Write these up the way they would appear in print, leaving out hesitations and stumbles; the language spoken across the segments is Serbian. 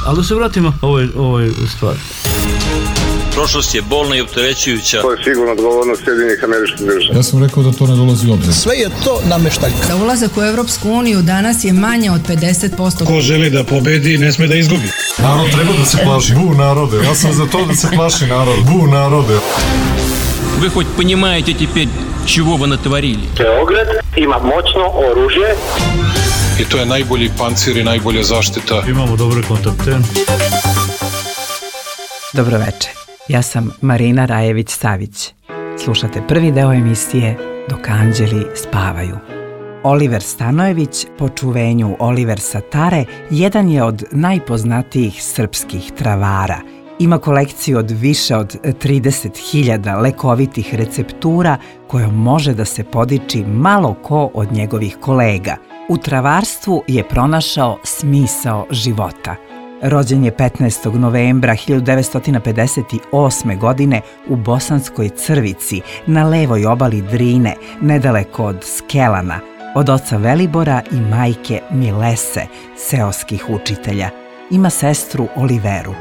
Ali da se vratimo ovoj stvari. Prošlost je bolna i opterećujuća. To je sigurno odgovornost Sjedinjenih Američkih Država. Ja sam rekao da to ne dolazi u obzir. Sve je to nameštaljka. Da ulazak u Evropsku uniju danas je manje od 50%. Ko želi da pobedi, ne sme da izgubi. Narod treba da se plaši. Bu narode. Ja sam za to da se plaši narod. Bu narode. Вы хоть понимаете теперь, чего вы натворили? Beograd ima moćno oružje. I to je najbolji pancir i najbolja zaštita. Imamo dobre kontakte. Dobroveče, ja sam Marina Rajević-Savić. Slušate prvi deo emisije Dok anđeli spavaju. Oliver Stanojević, po čuvenju Oliver Satare, jedan je od najpoznatijih srpskih travara. Ima kolekciju od više od 30.000 lekovitih receptura kojom može da se podiči malo ko od njegovih kolega. U travarstvu je pronašao smisao života. Rođen je 15. novembra 1958. godine u Bosanskoj Crvici, na levoj obali Drine, nedaleko od Skelana, od oca Velibora i majke Milese, seoskih učitelja. Ima sestru Oliveru.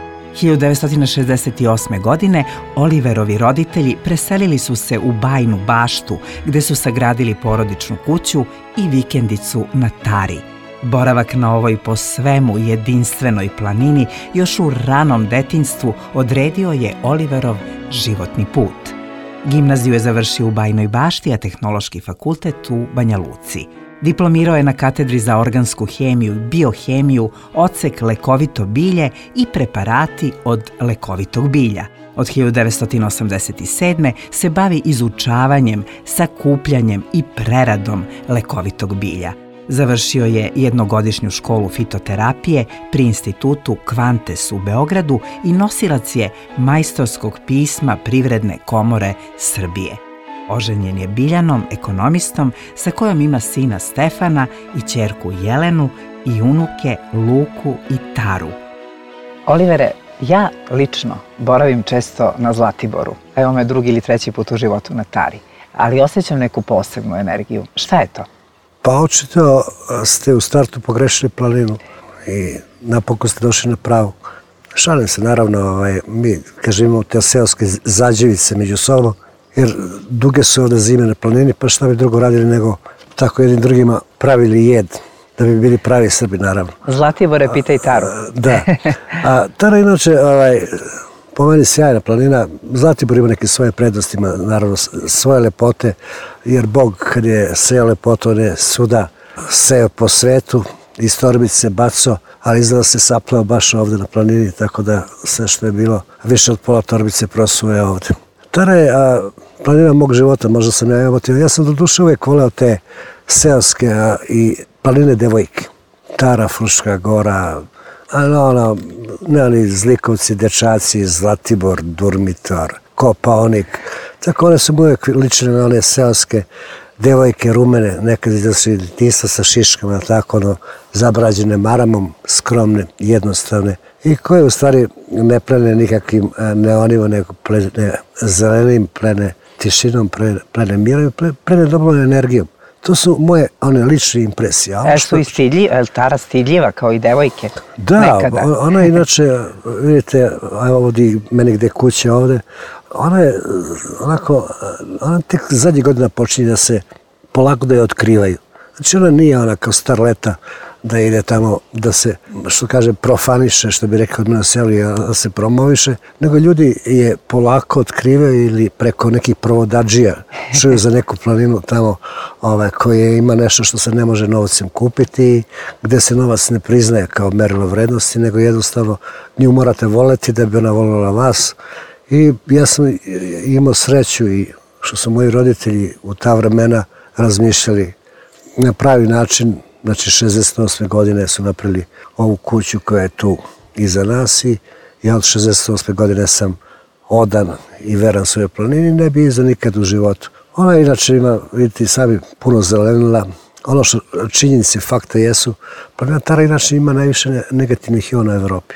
1968. godine Oliverovi roditelji preselili su se u Bajnu Baštu, gde su sagradili porodičnu kuću i vikendicu na Tari. Boravak na ovoj po svemu jedinstvenoj planini još u ranom detinjstvu odredio je Oliverov životni put. Gimnaziju je završio u Bajnoj Bašti, a tehnološki fakultet u Banja Luci. Diplomirao je na katedri za organsku hemiju i biohemiju, odsek lekovito bilje i preparati od lekovitog bilja. Od 1987. se bavi izučavanjem, sakupljanjem i preradom lekovitog bilja. Završio je jednogodišnju školu fitoterapije pri institutu Kvantes u Beogradu i nosilac je majstorskog pisma Privredne komore Srbije. Oženjen je Biljanom, ekonomistom, sa kojom ima sina Stefana i ćerku Jelenu i unuke Luku i Taru. Olivere, ja lično boravim često na Zlatiboru. Evo me drugi ili treći put u životu na Tari. Ali osjećam neku posebnu energiju. Šta je to? Pa očito ste u startu pogrešili planinu i napokon ste došli na pravu. Šalim se, naravno, mi, kažem, imamo te seoske zađevice među sobom, jer duge su ovde zime na planini, pa šta bi drugo radili nego tako jednim drugima pravili jed, da bi bili pravi Srbi, naravno. Zlatibore, pitaj Taru. Da. A Tara, inače, po meni sjajna planina. Zlatibor ima neke svoje prednosti, ima naravno svoje lepote, jer Bog kad je seo lepotu, on je svuda seo po svetu, iz torbice se baco, ali izgleda se saplao baš ovde na planini, tako da sve što je bilo, više od pola torbice prosuje ovde. Tara je planina mog života, možda sam ja emotivan. Ja sam do duše uvijek voleo te seoske i planine devojke. Tara, Fruška gora, nema ni Zlikovci, dečaci, Zlatibor, Durmitor, Kopaonik. Tako one su uvijek lične na one seoske devojke, rumene, nekad su djetinjstva sa šiškama, tako zabrađene maramom, skromne, jednostavne i koje u stvari ne plene nikakvim neonima, nego plene zelenim, plene tišinom, plene mirom, plene dobrom energijom. To su moje lične impresije. Su i stidljiva, je li Tara stidljiva kao i devojke? Da, ona inače, vidite, ovdje meni gde kuće ovde, ona je onako, ona tek zadnjih godina počinje da se polako da je otkrivaju. Znači ona nije ona kao starleta da ide tamo da se, što kaže, profaniše, što bi rekao od mene seli, da se promoviše, nego ljudi je polako otkrivaju ili preko nekih provodadžija čuju za neku planinu tamo koje ima nešto što se ne može novcem kupiti, gde se novac ne priznaje kao merilo vrednosti, nego jednostavno nju morate voleti da bi ona volila vas. I ja sam imao sreću i što su moji roditelji u ta vremena razmišljali na pravi način. Znači, 68. godine su napravili ovu kuću koja je tu iza nas i ja od 68. godine sam odan i veran svojoj planini, ne bi iza nikad u životu. Ona inače ima, vidite, sami puno zelenila. Ono što činjenice, fakta jesu, planina Tara inače ima najviše negativnih iona u Evropi.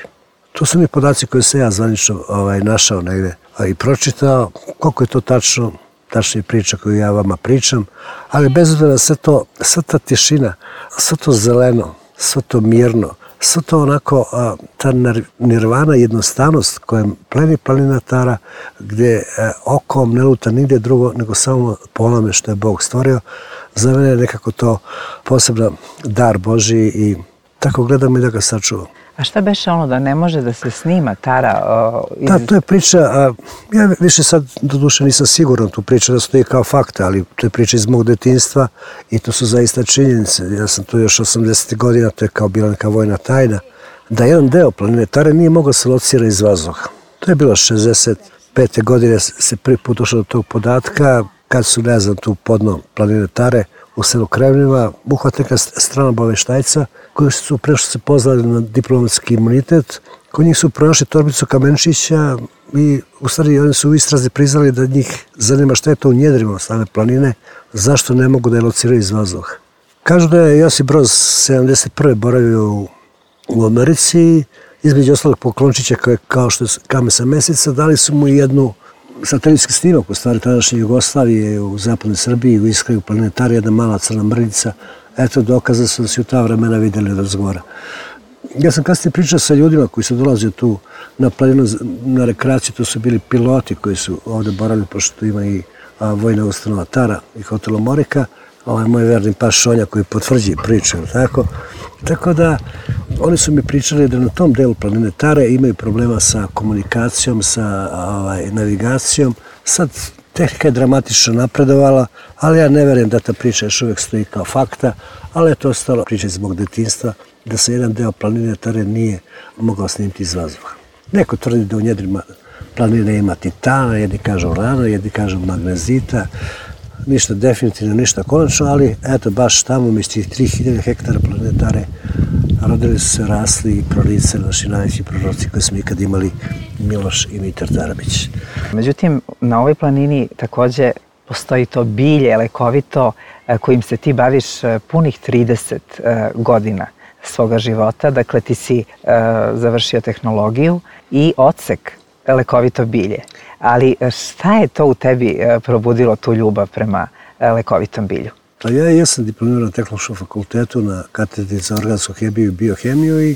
To su mi podaci koje sam ja zvanično našao negde i pročitao. Koliko je to tačno, tačnije priča koju ja vama pričam, ali bez obzira na sve to, sva ta tišina, sve to zeleno, sve to mirno, Sve to onako, ta nirvana, jednostavnost kojom pleni planinatara, gdje okom ne luta nigdje drugo nego samo po onome što je Bog stvorio, za mene je nekako to poseban dar Božji i tako gledam i da ga sačuvam. A šta beše ono da ne može da se snima Tara? Da, to je priča, ja više sad do duše nisam siguran tu priča da stoji kao fakta, ali to je priča iz mog detinjstva i to su zaista činjenice. Ja sam tu još 80. godina, to je kao bila neka vojna tajna, da jedan deo planine Tare nije mogao se locirati iz vazduha. To je bilo 65. godine se prvi put došlo do tog podatka, kad su, ne znam, tu podno planine Tare u selu Krevnjeva, uhvatila neka strana obaveštajca koji su prešli se pozvali na diplomatski imunitet. Kod njih su pronašli torbicu kamenčića i u stvari oni su u istrazi priznali da njih zanima šta je to u njedrima same planine, zašto ne mogu da je lociraju iz vazduha. Kažu da je Josip Broz 71. boravio u Americi, između ostalog poklončića kao što je kamen sa Meseca, dali su mu jednu satelitski snimak u stvari tadašnje Jugoslavije u zapadnoj Srbiji, u iskraju planine Tare, jedna mala crna mrljica. Eto, dokaza su da se u ta vremena vidjeli od razgovora. Ja sam kasnije pričao sa ljudima koji su dolazili tu na planinu, na rekreaciju, to su bili piloti koji su ovdje boravili, pošto tu ima i vojna ustanova Tara i hotel Morika, moj verni pas Šonja koji potvrđuje priču, tako? Tako da, oni su mi pričali da na tom delu planine Tare imaju problema sa komunikacijom, sa navigacijom. Sad, tehnika je dramatično napredovala, ali ja ne verujem da ta priča još uvijek stoji kao fakta, ali je to ostalo priča iz mog detinjstva, da se jedan deo planine Tare nije mogao snimiti iz vazduha. Neko tvrdi da u njedrima planine ima titana, jedni kažu urana, jedni kažu magnezita, ništa definitivno, ništa konačno, ali eto, baš tamo, među tih 3000 hektara planine Tare, rodili su se, rasli i proricali naši najveći proroci koji smo ikad imali, Miloš i Mitar Tarabić. Međutim, na ovoj planini takođe postoji to bilje lekovito kojim se ti baviš punih 30 godina svoga života. Dakle, ti si završio tehnologiju i odsek lekovito bilje. Ali šta je to u tebi probudilo tu ljubav prema lekovitom bilju? Pa ja jesam diplomirao na Tehnološkom fakultetu na katedri za organsku hemiju i biohemiju i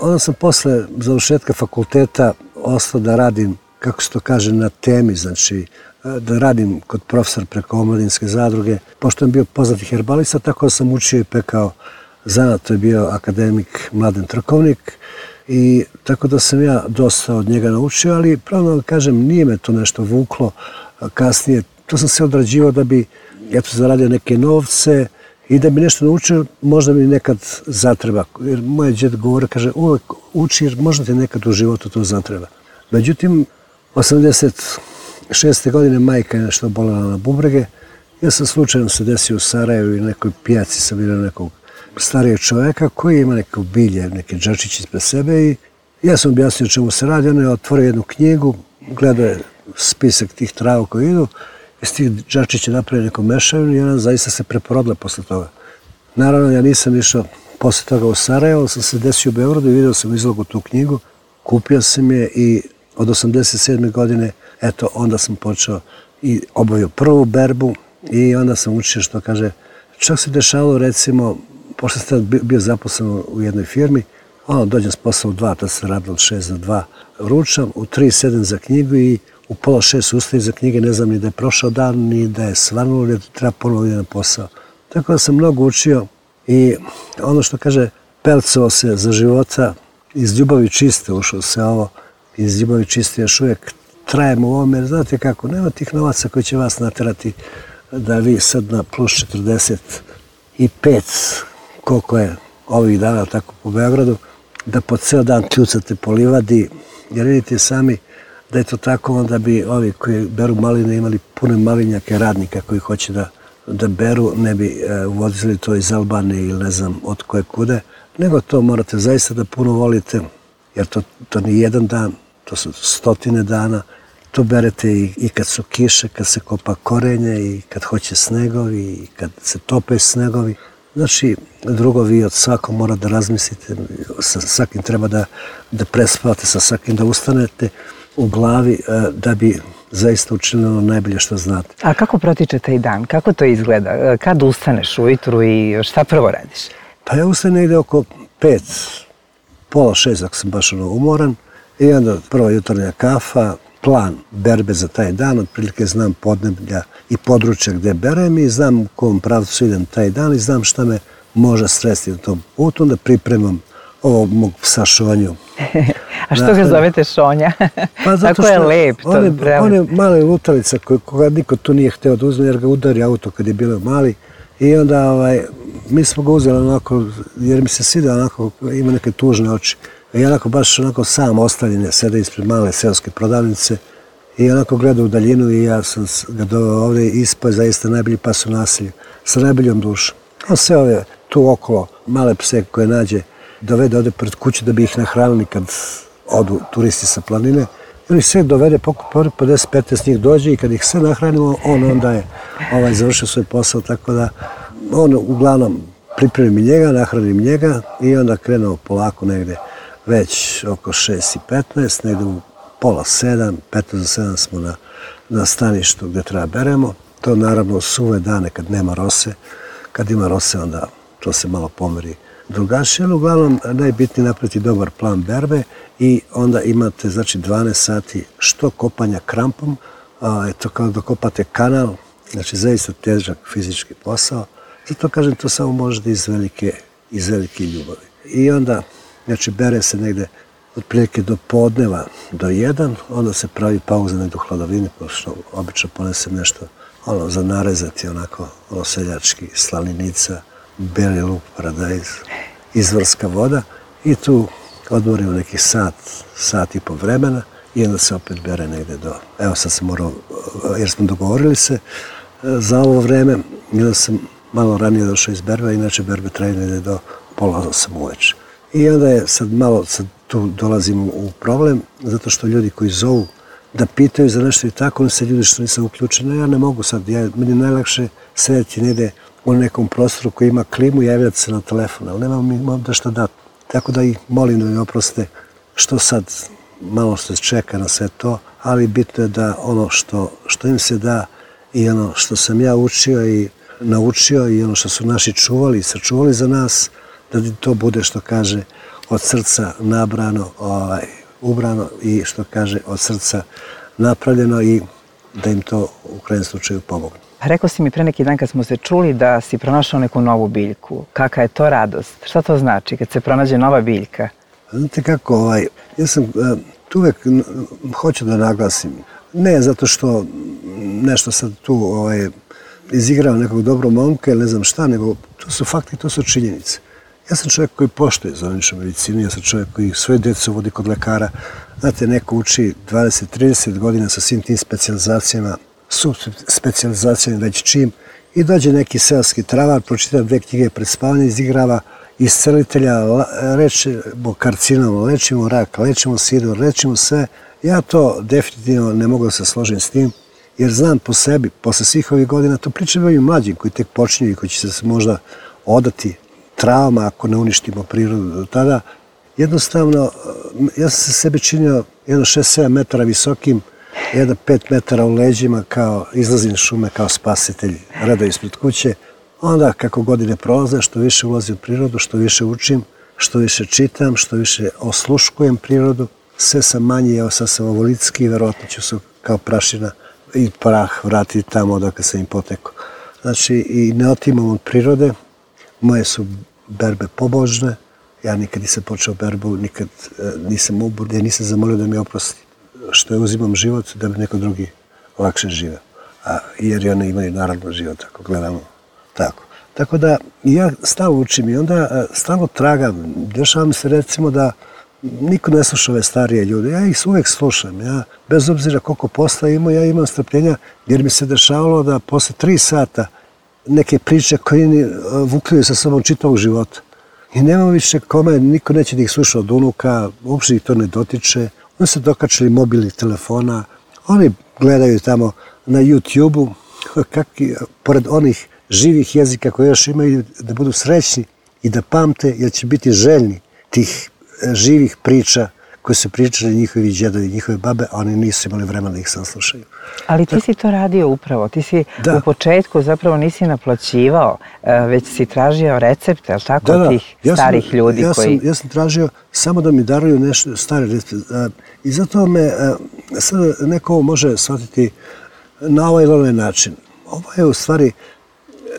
onda sam posle završetka fakulteta ostao da radim, kako se to kaže, na temi, znači da radim kod profesora preko omladinske zadruge. Pošto sam bio poznati herbalista, tako da sam učio i pekao zanat, to je bio akademik Mladen Trkovnik i tako da sam ja dosta od njega naučio, ali pravno da kažem, nije me to nešto vuklo kasnije. To sam se odrađivao da bi zaradio neke novce i da bi nešto naučio, možda mi nekad zatreba. Jer moj džed govore, kaže, uvek uči jer možda ti nekad u životu to zatreba. Međutim, 86. godine majka je nešto bolela na bubrege. Ja sam slučajno se desio u Sarajevu i nekoj pijaci sam vidio nekog starijeg čoveka koji ima neko bilje, neke džačiće ispred sebe i ja sam objasnio čemu se radi. On je otvorio jednu knjigu, gledao je spisak tih trava koji idu, iz tih džačića napravio neku mešavinu i ona zaista se preporodila posle toga. Naravno, ja nisam išao posle toga u Sarajevo, ali sam se desio u Beogradu i vidio sam izlogu tu knjigu, kupio sam je i od 87. godine, eto, onda sam počeo i obavio prvu berbu i onda sam učio što kaže, čak se dešavalo recimo, pošto sam bio zaposlen u jednoj firmi, dođem s posla u 2, to se radilo od 6 do 2, ručam, u 3 sedem za knjigu i u 5:30 ustajem za knjige, ne znam ni da je prošao dan, ni da je svanulo, ni da treba ponovo ide na posao. Tako da sam mnogo učio i ono što kaže, pelcovao se za života, iz ljubavi čiste ušao se ovo, iz ljubavi čiste još uvijek trajemo u ovome, jer znate kako, nema tih novaca koji će vas naterati da vi sad na plus 45, koliko je ovih dana tako po Beogradu, da po ceo dan kljucate po livadi, jer vidite sami da je to tako, onda bi ovi koji beru maline imali pune malinjake radnika koji hoće da beru, ne bi uvozili to iz Albanije ili ne znam od koje kude, nego to morate zaista da puno volite, jer to nije jedan dan, to su stotine dana. To berete i kad su kiše, kad se kopa korenje i kad hoće snegovi i kad se tope snegovi. Znači, drugo, vi od svakog mora da razmislite, sa svakim treba da prespavate, sa svakim da ustanete u glavi da bi zaista učinili ono najbolje što znate. A kako protiče taj dan? Kako to izgleda? Kad ustaneš ujutru i šta prvo radiš? Pa ja ustanem negde oko 5, pola 6 ako sam baš umoran i onda prva jutarnja kafa, plan berbe za taj dan, otprilike znam podneblja i područja gde berem i znam u kom pravcu idem taj dan i znam šta me može sresti na tom putu, onda pripremam ovo mog psa Šonju. A što ga zovete Šonja? Pa zato tako je lep. On je mali lutalica koga niko tu nije hteo da uzme jer ga udari auto kad je bilo mali i onda mi smo ga uzeli onako jer mi se svida onako, ima neke tužne oči. I onako baš onako sam ostavljen, sede ispred male seoske prodavnice i onako gleda u daljinu i ja sam ga doveo ovdje i ispao je zaista najbolji pas u naselju, sa najboljom dušom. On sve ove tu okolo male pse koje nađe dovede ovdje pred kuću da bi ih nahranili kad odu turisti sa planine. I on ih sve dovede, pokupa 50-15 njih dođe i kad ih sve nahranimo, on onda je završio svoj posao, tako da on uglavnom pripremim njega, nahranim njega i onda krenuo polako negde već oko 6:15, negde u pola 7, 15 za 7 smo na staništu gde treba beremo. To naravno suve dane kad nema rose. Kad ima rose onda to se malo pomeri drugačije, ali uglavnom najbitnije napraviti dobar plan berbe i onda imate znači 12 sati što kopanja krampom, eto kao da kopate kanal, znači zaista težak fizički posao. Zato kažem to samo možete iz velike ljubavi. I onda znači bere se negde otprilike do podneva do 1, onda se pravi pauza negde u hladovini, pošto obično ponesem nešto za narezati, onako seljački, slaninica, beli luk, paradajz, izvorska voda i tu odmorimo neki sat i po vremena i onda se opet bere negde do, evo sad sam morao, jer smo dogovorili se za ovo vreme, i onda sam malo ranije došao iz berbe, inače berbe traju negde do pola 8 uveče. I onda je sad tu dolazimo u problem, zato što ljudi koji zovu da pitaju za nešto i tako, oni se ljudi što nisam uključen, ja ne mogu sad, meni je najlakše sedeti negde u nekom prostoru koji ima klimu i javljati se na telefon, ali nemam da što dati. Tako da ih molim da mi oproste što sad malo se čeka na sve to, ali bitno je da ono što im se da i ono što sam ja učio i naučio i ono što su naši čuvali i sačuvali za nas, da to bude što kaže od srca nabrano, ubrano i što kaže od srca napravljeno i da im to u krajnjem slučaju pomogne. Rekao si mi pre neki dan kad smo se čuli da si pronašao neku novu biljku. Kakva je to radost? Šta to znači kad se pronađe nova biljka? Znate kako, ja sam tu uvek hoću da naglasim, ne zato što nešto sad tu izigrao nekog dobrog momka ili ne znam šta, nego to su fakti, to su činjenice. Ja sam čovjek koji poštuje zvaničnu medicinu, ja sam čovjek koji svoje djecu vodi kod lekara. Znate, neko uči 20-30 godina sa svim tim specijalizacijama, subspecijalizacijama već čim, i dođe neki seoski travar, pročita 2 knjige pred spavanje, izigrava iscelitelja, lečimo karcinom, lečimo rak, lečimo sidor, lečimo sve. Ja to definitivno ne mogu da se složim s tim, jer znam po sebi, posle svih ovih godina, to pričam ovim mlađim koji tek počinju i koji će se možda odati trauma ako ne uništimo prirodu do tada. Jednostavno, ja sam se sebi činio jedno 6-7 metara visokim, jedno 5 metara u leđima, kao izlazim iz šume kao spasitelj, redao ispred kuće. Onda kako godine prolaze, što više ulazim u prirodu, što više učim, što više čitam, što više osluškujem prirodu, sve sam manji, evo sad sam ovolitski i verovatno ću se kao prašina i prah vratiti tamo odakle sam im potekao. Znači, i ne otimam od prirode, moje su berbe pobožne, ja nikad nisam počeo berbu, nikad nisam uburdio, nisam zamolio da mi oprosti što je uzimam život, da bi neko drugi lakše živeo. Jer i oni imaju naravno život, ako gledamo tako. Tako da ja stalno učim i onda stalno tragam. Dešava mi se recimo da niko ne sluša ove starije ljude. Ja ih uvek slušam. Ja, bez obzira koliko posla imam, ja imam strpljenja jer mi se dešavalo da posle 3 sata neke priče koje vukljaju sa sobom čitavog života. I nema više kome, niko neće da ih sluša od unuka, uopšte ih to ne dotiče. Oni se dokačili mobilnih telefona, oni gledaju tamo na YouTube-u, pored onih živih jezika koje još imaju, da budu srećni i da pamte, jer će biti željni tih živih priča koje su pričali njihovi djedovi, njihove babe, a oni nisu imali vremena da ih saslušaju. Ali ti si to radio upravo, ti si u početku zapravo nisi naplaćivao, već si tražio recepte, ali tako, tih starih ljudi koji... Ja sam tražio samo da mi daruju nešto stare recepte. I zato me sad neko može shvatiti na ovaj ili onaj način. Ovo je u stvari,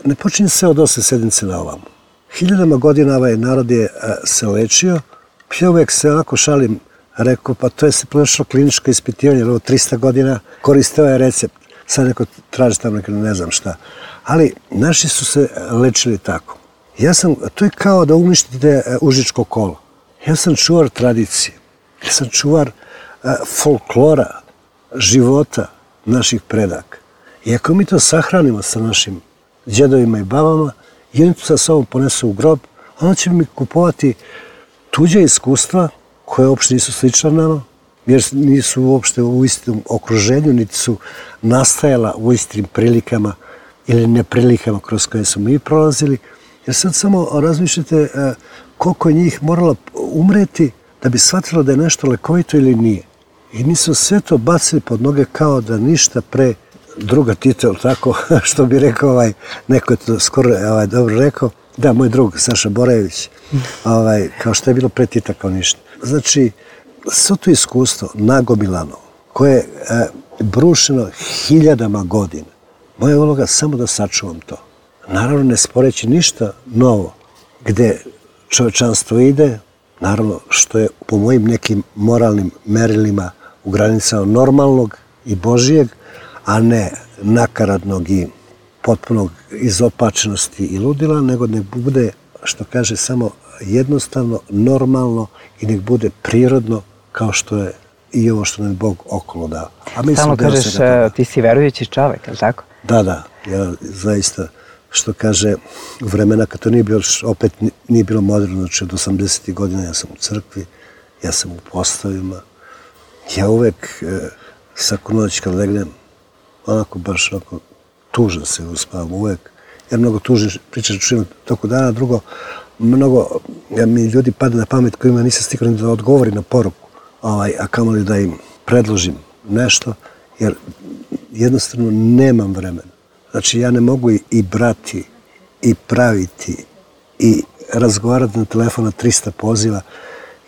ne počinje se od 8 sedmice na ovamo. Hiljadama godina ovaj narod je se lečio. Ja uvijek se onako šalim, rekao, pa to je se prošlo kliničko ispitivanje, jer ovo 300 godina koriste ovaj recept. Sad neko traži tamo ne znam šta. Ali naši su se lečili tako. To je kao da uništite užičko kolo. Ja sam čuvar tradicije. Ja sam čuvar folklora, života naših predaka. I ako mi to sahranimo sa našim djedovima i babama, i oni to sa sobom ponesu u grob, onda će mi kupovati tuđe iskustva koje uopšte nisu slična nama, jer nisu uopšte u istom okruženju, niti su nastajala u istim prilikama ili neprilikama kroz koje su mi prolazili. Jer sad samo razmišljate koliko je njih moralo umreti da bi shvatilo da je nešto lekovito ili nije. I mi smo sve to bacili pod noge kao da ništa pre druga Tita, tako, što bi rekao, neko je to skoro dobro rekao, da, moj drug Saša Borajević, kao što je bilo pre Tita, kao ništa. Znači, sve to iskustvo nagomilano, koje je brušeno hiljadama godina, moja je uloga samo da sačuvam to. Naravno, ne sporeći ništa novo, gde čovečanstvo ide, naravno, što je po mojim nekim moralnim merilima u granicama normalnog i Božijeg, a ne nakaradnog i potpunog izopačenosti i ludila, nego nek bude, što kaže, samo jednostavno, normalno i nek bude prirodno kao što je i ovo što nam Bog okolo dao. Samo kažeš, ti si verujući čovek, je li tako? Da, ja zaista, što kaže, u vremena kad to nije bilo, opet nije bilo moderno, znači od 80. godina ja sam u crkvi, ja sam u postavima, ja uvek svaku noć kad legnem, onako baš onako tužan se uspavam uvek, jer mnogo tužim pričam čujem toko dana, drugo, mnogo mi ljudi pada na pamet kojima nisam stigao da odgovori na poruku, a kamoli da im predložim nešto, jer jednostavno nemam vremena. Znači ja ne mogu i brati, i praviti, i razgovarati na telefon na 300 poziva,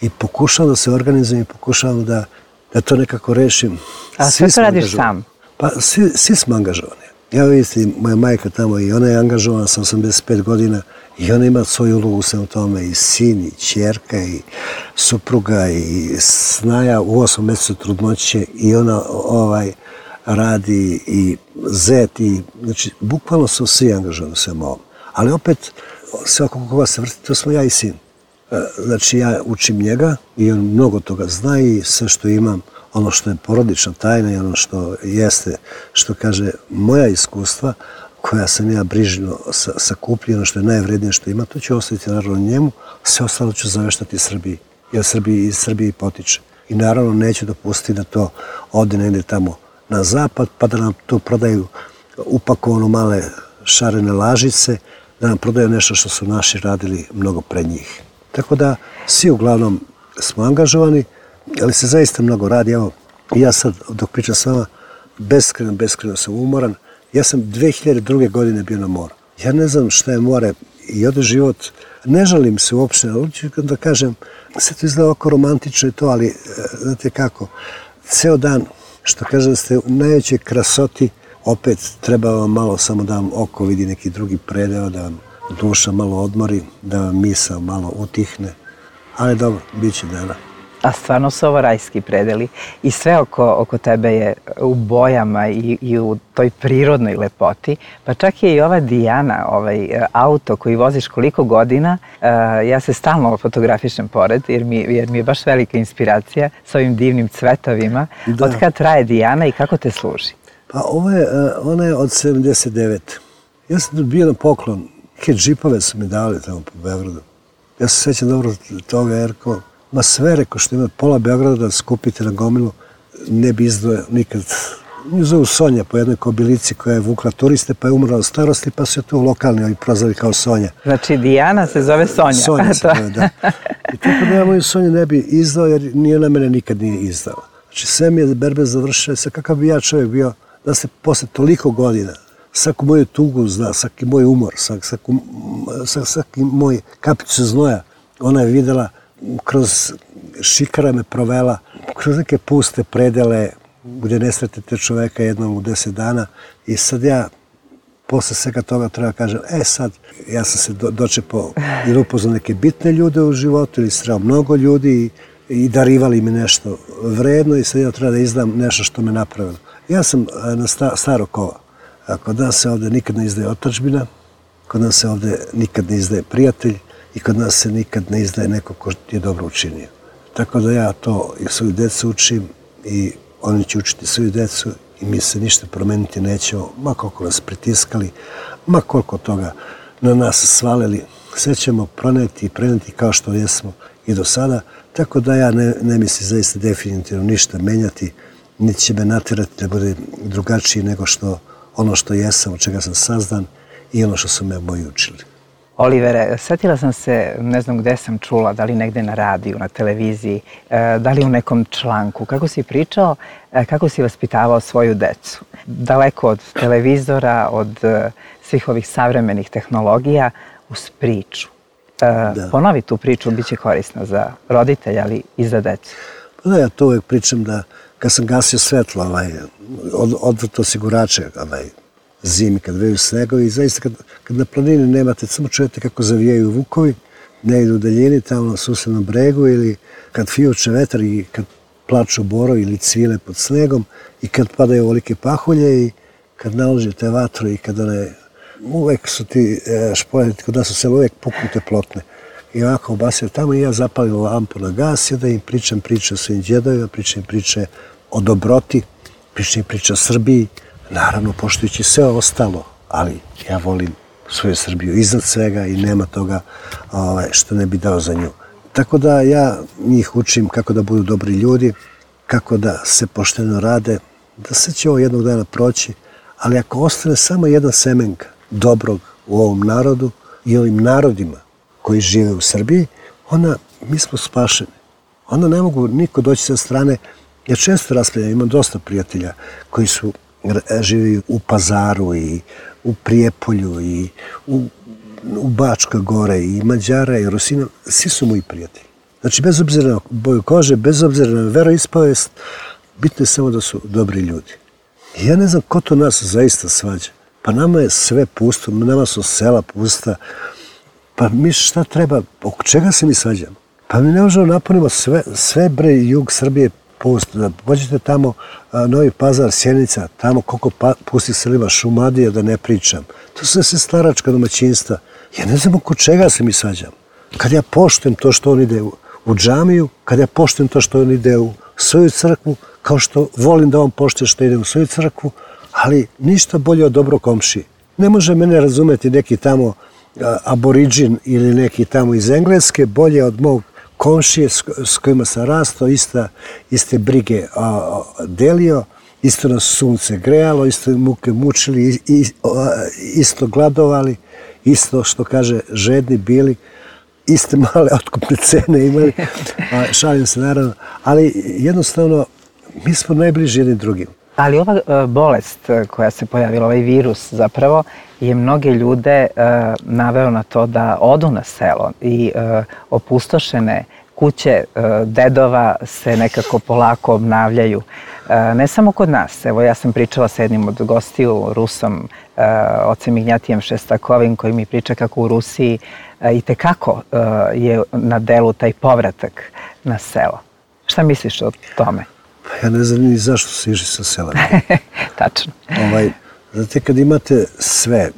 i pokušavam da se organizujem i pokušavam da to nekako rešim. A sve to radiš sam? Pa svi smo angažovani. Ja vidim, moja majka tamo i ona je angažovana sa 85 godina i ona ima svoju ulogu u svemu tome, i sin, i ćerka, i supruga, i snaja u 8 mjesecu trudnoće i ona radi, i zet, i znači bukvalno su svi angažovani u svemu ovom. Ali opet, sve oko koga se vrti, to smo ja i sin. Znači ja učim njega i on mnogo toga zna i sve što imam, ono što je porodična tajna i ono što jeste, što kaže, moja iskustva koja sam ja brižno sakupljio, ono što je najvrednije što ima, to ću ostaviti naravno njemu, sve ostalo ću zaveštati Srbiji, jer iz Srbiji potiče. I naravno neću dopustiti da to ode negdje tamo na zapad, pa da nam tu prodaju upakovano male šarene lažice, da nam prodaju nešto što su naši radili mnogo pred njih. Tako da svi uglavnom smo angažovani, ali se zaista mnogo radi. Evo, ja sad dok pričam s vama, beskreno sam umoran. Ja sam 2002. godine bio na moru. Ja ne znam šta je more i ode život. Ne žalim se uopšte, ali ću da kažem, sve to izgleda oko romantično i to, ali znate kako, ceo dan, što kažem, ste u najvećoj krasoti, opet treba vam malo samo da vam oko vidi neki drugi predeo, da vam duša malo odmori, da vam misao malo utihne. Ali dobro, bit će dana. A stvarno su ovo rajski predeli i sve oko tebe je u bojama i u toj prirodnoj lepoti. Pa čak je i ova Dijana, ovaj auto koji voziš koliko godina, ja se stalno fotografišem pored jer mi je baš velika inspiracija s ovim divnim cvetovima. Od kad traje Dijana i kako te služi? Pa ona je od 79. Ja sam bio na poklon. Neke džipove su mi dali tamo po Beogradu. Ja se sjećam dobro toga jer ma sve reko što ima pola Beograda da skupite na gomilu, ne bi izdvojio nikad Nju zovu Sonja po jednoj kobilici koja je vukla turiste, pa je umrla od starosti, pa su je tu lokalni ovi prozvali kao Sonja. Znači Dijana se zove Sonja. Sonja se zove, da. I tako da ja moju Sonju ne bi izdao, jer nije na mene nikad nije izdala. Znači sve mi je berbe završile, sa kakav bi ja čovjek bio, da se posle toliko godina, svaku moju tugu zna, svaki moj umor, svaki moj kapicu znoja, ona je videla, kroz šikara me provela, kroz neke puste predele, gdje ne sretite čoveka jednom u 10 dana i sad ja posle svega toga treba kažem, sad ja sam se dočepao ili upoznao neke bitne ljude u životu ili sreo mnogo ljudi i darivali mi nešto vredno i sad ja treba da izdam nešto što me napravilo. Ja sam na staro kova. Kod nas se ovdje nikad ne izdaje otadžbina, kod nas se ovdje nikad ne izdaje prijatelj i kod nas se nikad ne izdaje neko ko je dobro učinio. Tako da ja to i svoju decu učim i oni će učiti svoju decu i mi se ništa promeniti nećemo, ma koliko nas pritiskali, ma koliko toga na nas svalili. Sve ćemo proneti i preneti kao što jesmo i do sada, tako da ja ne mislim zaista definitivno ništa menjati, niti će me natjerati da bude drugačiji nego ono što jesam, od čega sam sazdan i ono što su me moji učili. Olivere, setila sam se, ne znam gde sam čula, da li negde na radiju, na televiziji, da li u nekom članku, kako si pričao, kako si vaspitavao svoju decu. Daleko od televizora, od svih ovih savremenih tehnologija, uz priču. Ponovi tu priču, bit će korisna za roditelja, ali i za decu. Pa da, ja to uvijek pričam da kad sam gasio svetlo, odvrto osigurače, zimi kad veju snegovi i zaista kad na planini nemate, samo čujete kako zavijaju vukovi, ne idu u daljini tamo na susednom bregu ili kad fijuče vetar i kad plaču borovi ili cvile pod snegom i kad padaju ovolike pahulje i kad naložite vatru i kad uvek su ti špoljeti, kod nas u selu uvek puknute plotne. I ovako obasio tamo i ja zapalim lampu na gas i da im pričam priče o svojim djedovima, pričam priče o dobroti, pričam priče o Srbiji, naravno poštujući sve ostalo, ali ja volim svoju Srbiju iznad svega i nema toga što ne bi dao za nju. Tako da ja njih učim kako da budu dobri ljudi, kako da se pošteno rade, da se će ovo jednog dana proći, ali ako ostane samo jedan semenka dobrog u ovom narodu i ovim narodima koji žive u Srbiji, mi smo spašeni. Onda ne mogu niko doći sa strane. Ja često raspravljam, imam dosta prijatelja koji žive u Pazaru i u Prijepolju i u Bačkoj gore i Mađara i Rusina. Svi su moji prijatelji. Znači, bez obzira na boju kože, bez obzira na veroispovest, bitno je samo da su dobri ljudi. I ja ne znam ko to nas zaista svađa. Pa nama je sve pusto, nama su sela pusta. Pa mi šta treba, oko čega se mi svađamo? Pa mi ne možemo napunimo sve bre jug Srbije pusto. Da pođete tamo, Novi Pazar, Sjenica, tamo koliko pustih selima, Šumadija, da ne pričam. To su sve staračka domaćinstva. Ja ne znam oko čega se mi svađamo. Kad ja poštujem to što on ide u džamiju, kad ja poštujem to što on ide u svoju crkvu, kao što volim da on poštuje što ide u svoju crkvu, ali ništa bolje od dobro komšije. Ne može mene razumeti neki tamo aboriđin ili neki tamo iz Engleske, bolje od mog komšije s kojima sam rastao, iste brige delio, isto nas sunce grejalo, isto muke mučili, isto gladovali, isto što kaže žedni bili, iste male otkupne cene imali, šalim se naravno, ali jednostavno mi smo najbliži jedni drugim. Ali ova bolest koja se pojavila, ovaj virus zapravo, je mnoge ljude naveo na to da odu na selo i opustošene kuće dedova se nekako polako obnavljaju. Ne samo kod nas, evo ja sam pričala sa jednim od gostiju, Rusom, ocem Ignjatijem Šestakovim, koji mi priča kako u Rusiji itekako je na delu taj povratak na selo. Šta misliš o tome? Ja ne znam ni zašto se išli sa sela. Tačno. Znate, kad imate sve,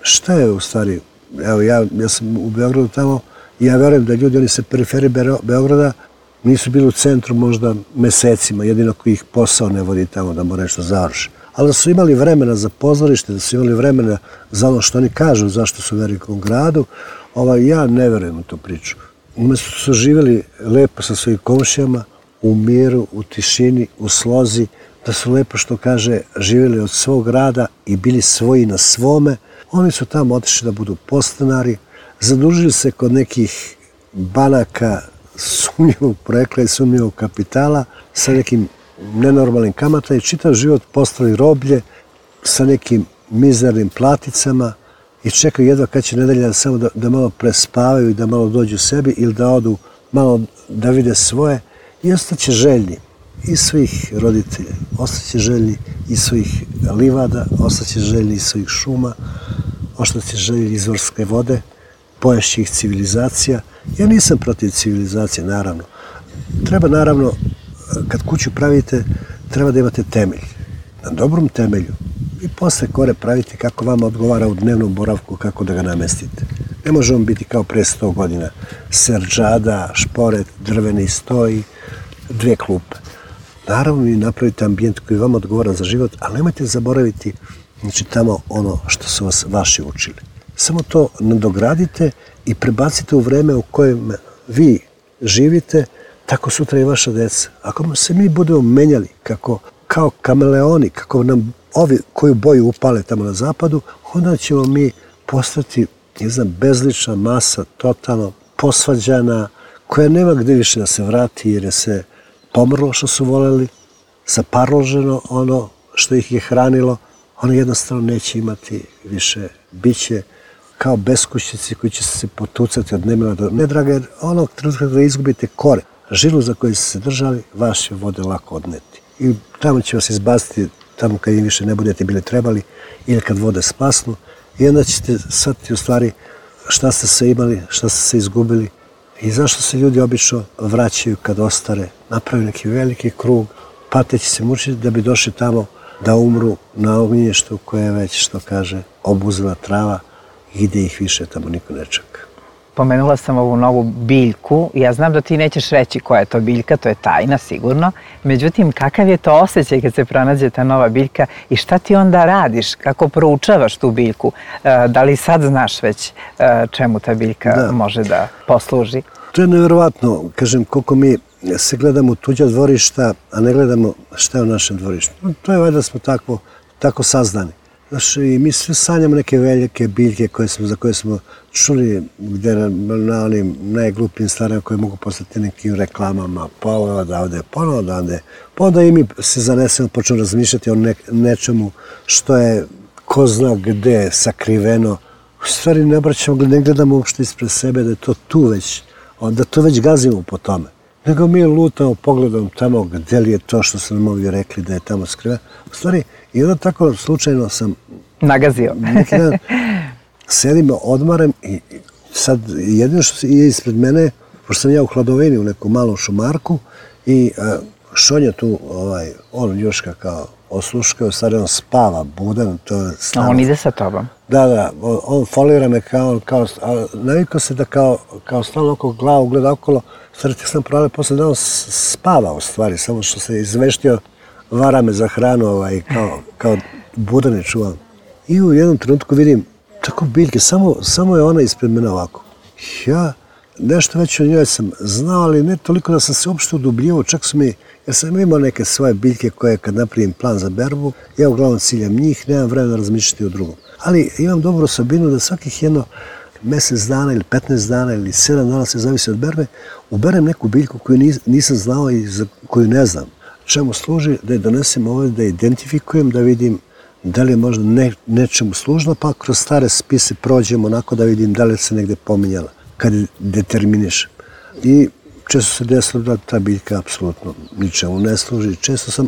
šta je u stvari, evo ja sam u Beogradu tamo i ja verujem da ljudi, oni sa periferije Beograda nisu bili u centru možda mesecima, jedino koji ih posao ne vodi tamo da mora nešto završi. Ali da su imali vremena za pozorište, da su imali vremena za ono što oni kažu zašto su u velikom gradu, ja ne verujem u tu priču. Umesto su živjeli lepo sa svojim komšijama, u miru, u tišini, u slozi, da su lepo, što kaže, živjeli od svog rada i bili svoji na svome. Oni su tamo otišli da budu podstanari, zadužili se kod nekih banaka sumnjivog porekla i sumnjivog kapitala sa nekim nenormalnim kamatama i čitav život postali roblje sa nekim mizernim platicama i čekaju jedva kad će nedelja samo da malo prespavaju i da malo dođu sebi ili da odu malo da vide svoje i ostaće željni i svojih roditelja, ostaće željni i svojih livada, ostaće željni i svojih šuma, ostaće željni izvorske vode, poješće ih civilizacija. Ja nisam protiv civilizacije, naravno. Treba, naravno, kad kuću pravite, treba da imate temelj. Na dobrom temelju. I posle kore pravite kako vama odgovara u dnevnom boravku, kako da ga namestite. Ne može on biti kao pre 100 godina. Serđada, šporet, drveni stoj, 2 klupe. Naravno, vi napravite ambijent koji vama odgovara za život, ali nemojte zaboraviti, znači, tamo ono što su vas vaši učili. Samo to nadogradite i prebacite u vreme u kojem vi živite, tako sutra i vaša deca. Ako se mi budemo menjali kao kameleoni, kako nam ovi koju boju upale tamo na zapadu, onda ćemo mi postati, ne znam, bezlična masa, totalno posvađana, koja nema gde više da se vrati jer je se pomrlo što su voleli, zaparloženo ono što ih je hranilo, oni jednostavno neće imati više, bit će kao beskućnici koji će se potucati od nemila do nedraga, jer onog trenutka da izgubite kore, žilu za koju ste se držali, vaš je vode lako odneti. I tamo će vas izbaciti, tamo kad im više ne budete bili trebali, ili kad vode splasnu, i onda ćete shvatiti u stvari šta ste se imali, šta ste se izgubili i zašto se ljudi obično vraćaju kad ostare, napravi neki veliki krug, pateći se mučiti da bi došli tamo da umru na ognjištu koje je već, što kaže, obuzela trava i gdje ih više tamo niko ne čeka. Pomenula sam ovu novu biljku. Ja znam da ti nećeš reći koja je to biljka, to je tajna sigurno. Međutim, kakav je to osjećaj kad se pronađe ta nova biljka i šta ti onda radiš? Kako proučavaš tu biljku? Da li sad znaš već čemu ta biljka može da posluži? To je nevjerovatno, kažem, koliko mi se gledamo u tuđa dvorišta, a ne gledamo šta je u našem dvorištu. To je valjda smo tako saznani. Znaš, i mi sve sanjamo neke velike biljke za koje smo čuli gde na onim najglupijim stvarima koje mogu postati nekim reklamama, ponovo odavde, pa onda i mi se zanesemo, počnemo razmišljati o nečemu što je ko zna gde sakriveno. U stvari ne gledamo uopšte ispred sebe da je to tu već, da to već gazimo po tome. Nego mi lutamo pogledom tamo gde li je to što su nam ovi rekli da je tamo skriveno. U stvari, i onda tako slučajno sam nagazio. Neki dan sedim, odmarem i sad jedino što je ispred mene, pošto sam ja u hladovini u nekom malom šumarku i Šonja tu, on Ljuška kao osluškao, stvari on spava, budan. A on ide sa tobom? Da, on folira me kao navikao se da kao stalno oko glavu gleda okolo, stvari tek sam pravila posle da on spava u stvari, samo što se izveštio, vara me za hranu, kao budan je čuvan. I u jednom trenutku vidim tako biljke, samo je ona ispred mene ovako. Ja nešto već o njoj sam znao, ali ne toliko da sam se uopšte udubljivao, čak su mi, jer sam imao neke svoje biljke koje kad napravim plan za berbu, ja uglavnom ciljam njih, nemam vremena razmišljati o drugom. Ali imam dobru osobinu da svakih jedno mjesec dana ili 15 dana ili 7 dana, se zavisi od berbe, uberem neku biljku koju nisam znao i za koju ne znam. Čemu služi, da je donesem ovdje, da je identifikujem, da vidim da li je možda nečemu služno, pa kroz stare spise prođemo onako da vidim da li se negde pominjala, kad determinišem. I često se desilo da ta biljka apsolutno ničemu ne služi,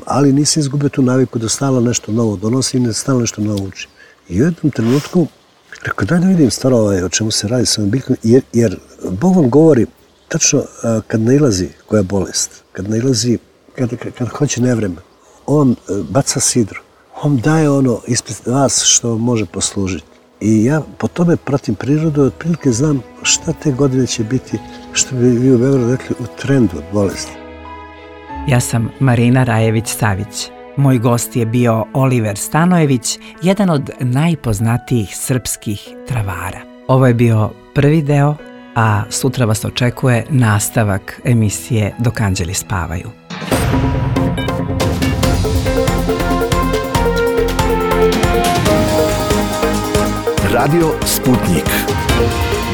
ali nisam izgubio tu naviku da stalno nešto novo donosim i da stalno nešto novo učim. I u jednom trenutku rekao, daj da vidim stvarno o čemu se radi s ovom biljkom, jer Bog vam govori tačno kad nailazi koja je bolest, kad nailazi, kad hoće nevreme, on baca sidro, on daje ono ispred vas što može poslužiti. I ja po tome pratim prirodu, otprilike znam šta te godine će biti, što bi vi u Beogradu rekli, u trendu od bolesti. Ja sam Marina Rajević-Savić. Moj gost je bio Oliver Stanojević, jedan od najpoznatijih srpskih travara. Ovo je bio prvi deo, a sutra vas očekuje nastavak emisije Dok anđeli spavaju. Radio Sputnik.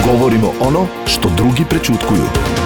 Govorimo ono što drugi prećutkuju.